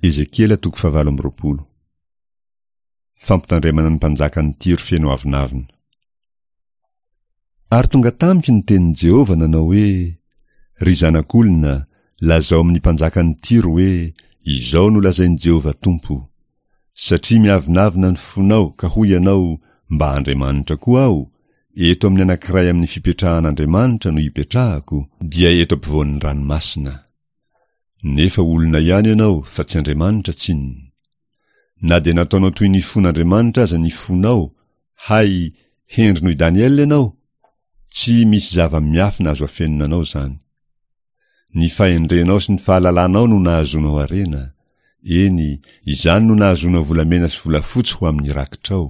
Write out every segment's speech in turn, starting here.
Ezekiela toko fahavalo amby 20. Fampitandremana ny mpanjakan'i Tyro feno avonavona. Ary tonga tamiko ny tenin'i Jehovah nanao hoe, Ry zanak'olona, lazao amin'ny mpanjakan'i Tyro hoe, 'Izao no lazain'i Jehovah Tompo, Satria miavonavona ny fonao ka hoy ianao, Mba andriamanitra koa aho, eto amin'ny anankiray amin'ny fipetrahan'Andriamanitra no ipetrahako, dia eto ampovoan'ny ranomasina. Nefa olona ihany ianao fa tsy Andriamanitra tsinona. Na dia nataonao toy ny fon'Andriamanitra aza ny fonao, hay, hendry noho i Daniela ianao? Tsy misy zava-miafina azo afenina anao izany. Ny fahendrenao sy ny fahalalanao no nahazoanao harena. Eny, izany no nahazoanao volamena sy volafotsy ho amin'ny rakitrao.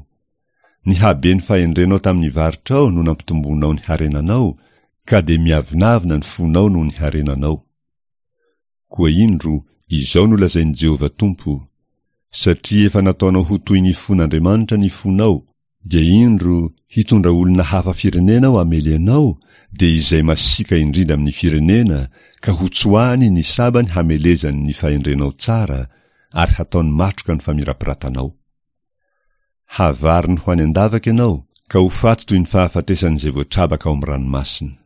Ny haben'ny fahendrenao tamin'ny varotrao no nampitomboanao ny harenanao, ka dia miavonavona ny fonao noho ny harenanao. Koa indro, izao no lazain'i Jehovah Tompo, Satria efa nataonao ho toy ny fon'Andriamanitra ny fonao, dia indro, hitondra olona hafa firenena aho hamely anao, dia izay masiaka indrindra amin'ny firenena, ka hotsoahany ny sabany hamelezany ny fahendrenao tsara, ary hataony matroka ny famirapiratanao. Havariny ho any an-davaka ianao, ka ho faty toy ny fahafatesan'izay voatrabaka ao amin'ny ranomasina.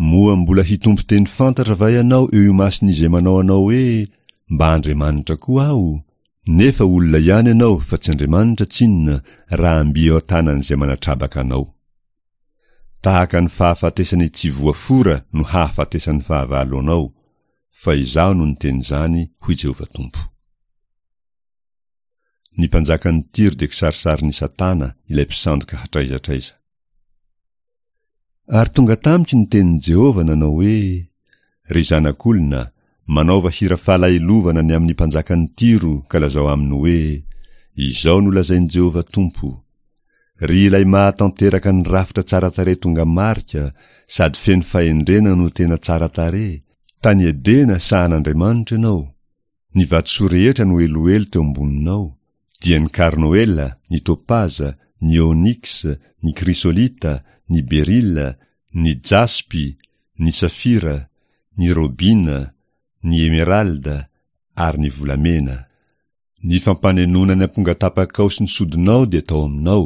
Moa mbola hitompo teny fantatra va ianao eo imason'izay manao anao hoe, Mba Andriamanitra koa aho? Nefa olona ihany ianao fa tsy Andriamanitra tsinona raha mby eo an-tanan'izay manatrabaka anao. Tahaka ny fahafatesan'ny tsy voafora no hahafatesan'ny fahavalo anao, fa Izaho no niteny izany, hoy Jehovah Tompo. Ny mpanjakan'i Tyro dia kisarisarin'i Satana, ilay mpisandoka hatraiza hatraiza. Ary tonga tamiko ny tenin'i Jehovah nanao hoe, Ry zanak'olona, manaova hira fahalahelovana ny amin'ny mpanjakan'i Tyro ka lazao aminy hoe, Izao no lazain'i Jehovah Tompo, Ry ilay mahatanteraka ny rafitra tsara tarehy tonga marika sady feno fahendrena no tena tsara tarehy, tany Edena sahan'Andriamanitra ianao, Ny vatosoa rehetra no eloelo teo amboninao, dia ny karnoela, ny topaza, ny ôniksa, ny krisolita, ny berila, ny jaspy, ny safira, ny robina, ny emeralda, ary ny volamena. Ny fampanenoana ny ampongatapakao sy ny sodinao dia tao aminao.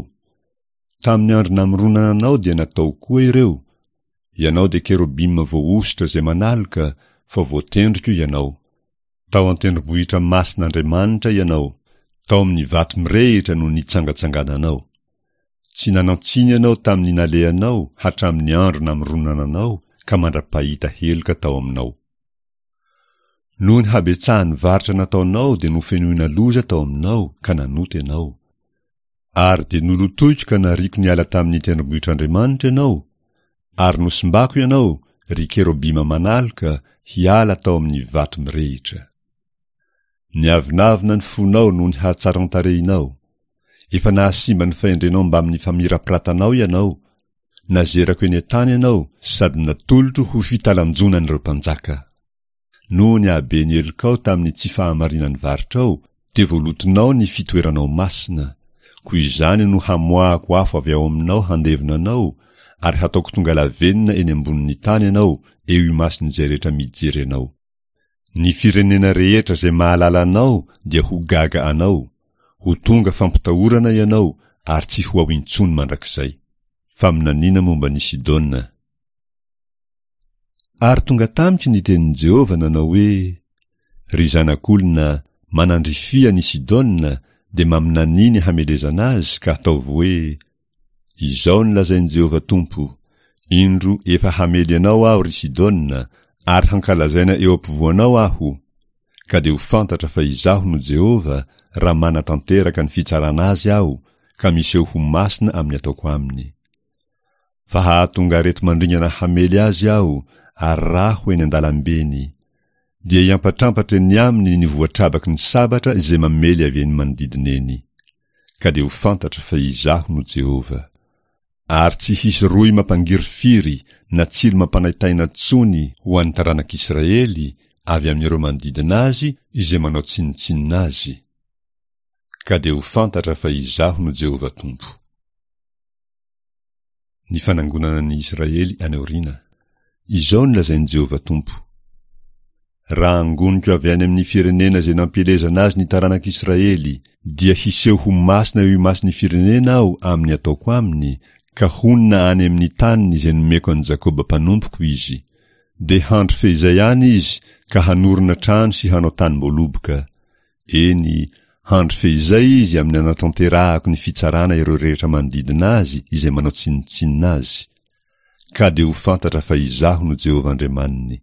Tamin'ny andro namoronana anao dia natao koa ireo, Ianao dia kerobima voahosotra izay manaloka, fa voatendriko ianao. Tao an-tendrombohitra masin'Andriamanitra ianao, tao amin'ny vato mirehitra no nitsangatsangananao. Tsy nanan-tsiny ianao tamin'ny nalehanao hatramin'ny andro namoronana anao ka mandra-pahita heloka tao aminao. Noho ny habetsahan'ny varotra nataonao dia nofenoina loza tao aminao ka nanota ianao. Ary dia nolotoiko ka nariako niala tamin'ny tendrombohitr'Andriamanitra ianao, ary nosimbako ianao, ry kerobima manaloka, hiala tao amin'ny vato mirehitra. Niavonavona ny fonao noho ny hatsaran-tarehinao. Efa nahasimba ny fahendrenao mbamin'ny famirapiratanao ianao, nazerako eny an-tany ianao sady natolotro ho fitalanjonan'ireo mpanjaka. Noho ny haben'ny helokao tamin'ny tsy fahamarinan'ny varotrao, dia voalotonao ny fitoeranao masina, koa izany no hamoahako afo avy ao aminao handevona anao, ary hataoko tonga lavenona eny ambonin'ny tany ianao eo imason'izay rehetra mijery anao. Ny firenena rehetra izay mahalala anao dia ho gaga anao, ho tonga fampitahorana ianao ary tsy ho ao intsony mandrakizay. Faminaniana momba an'i Sidona. Ary tonga tamiko ny tenin'i Jehovah nanao hoe, Ry zanak'olona, manandrifia an'i Sidona, dia maminania ny hamelezana azy, ka ataovy hoe, Izao no lazain'i Jehovah Tompo, Indro efa hamely anao Aho, ry Sidona, ary hankalazaina eo ampovoanao Aho, ka dia ho fantatra fa Izaho no Jehovah, raha manatanteraka ny fitsarana azy Aho, ka miseho ho masina amin'ny ataoko aminy. Fa hahatonga areti-mandringana hamely azy Aho, ary rà ho eny an-dalambeny. Dia hiampatrampatra eny aminy ny voatrabaky ny sabatra izay mamely avy eny manodidina eny. Ka dia ho fantatra fa Izaho no Jehovah. Ary tsy hisy rohy mampangirifiry na tsilo mampanaintaina intsony ho an'ny taranak'Israely avy amin'ireo manodidina azy izay manao tsinontsinona azy. Ka dia ho fantatra fa Izaho no Jehovah Tompo. Ny fanangonana ny Israely any aoriana. Izao no lazain'i Jehovah Tompo. Raha angoniko avy any amin'ny firenena izay nampielezana azy ny taranak'Israely, dia hiseho ho masina eo imason'ny firenena Aho amin'ny ataoko aminy, ka honina any amin'ny taniny izay nomeko an'i Jakoba mpanompoko izy. Dia handry feizay any izy ka hanorina trano sy hanao tanim-boaloboka. Eny, handry feizay izy amin'ny anatanterahako ny fitsarana ireo rehetra manodidina azy izay manao tsinontsinona azy. Ka dia ho fantatra fa Izaho no Jehovah Andriamaniny.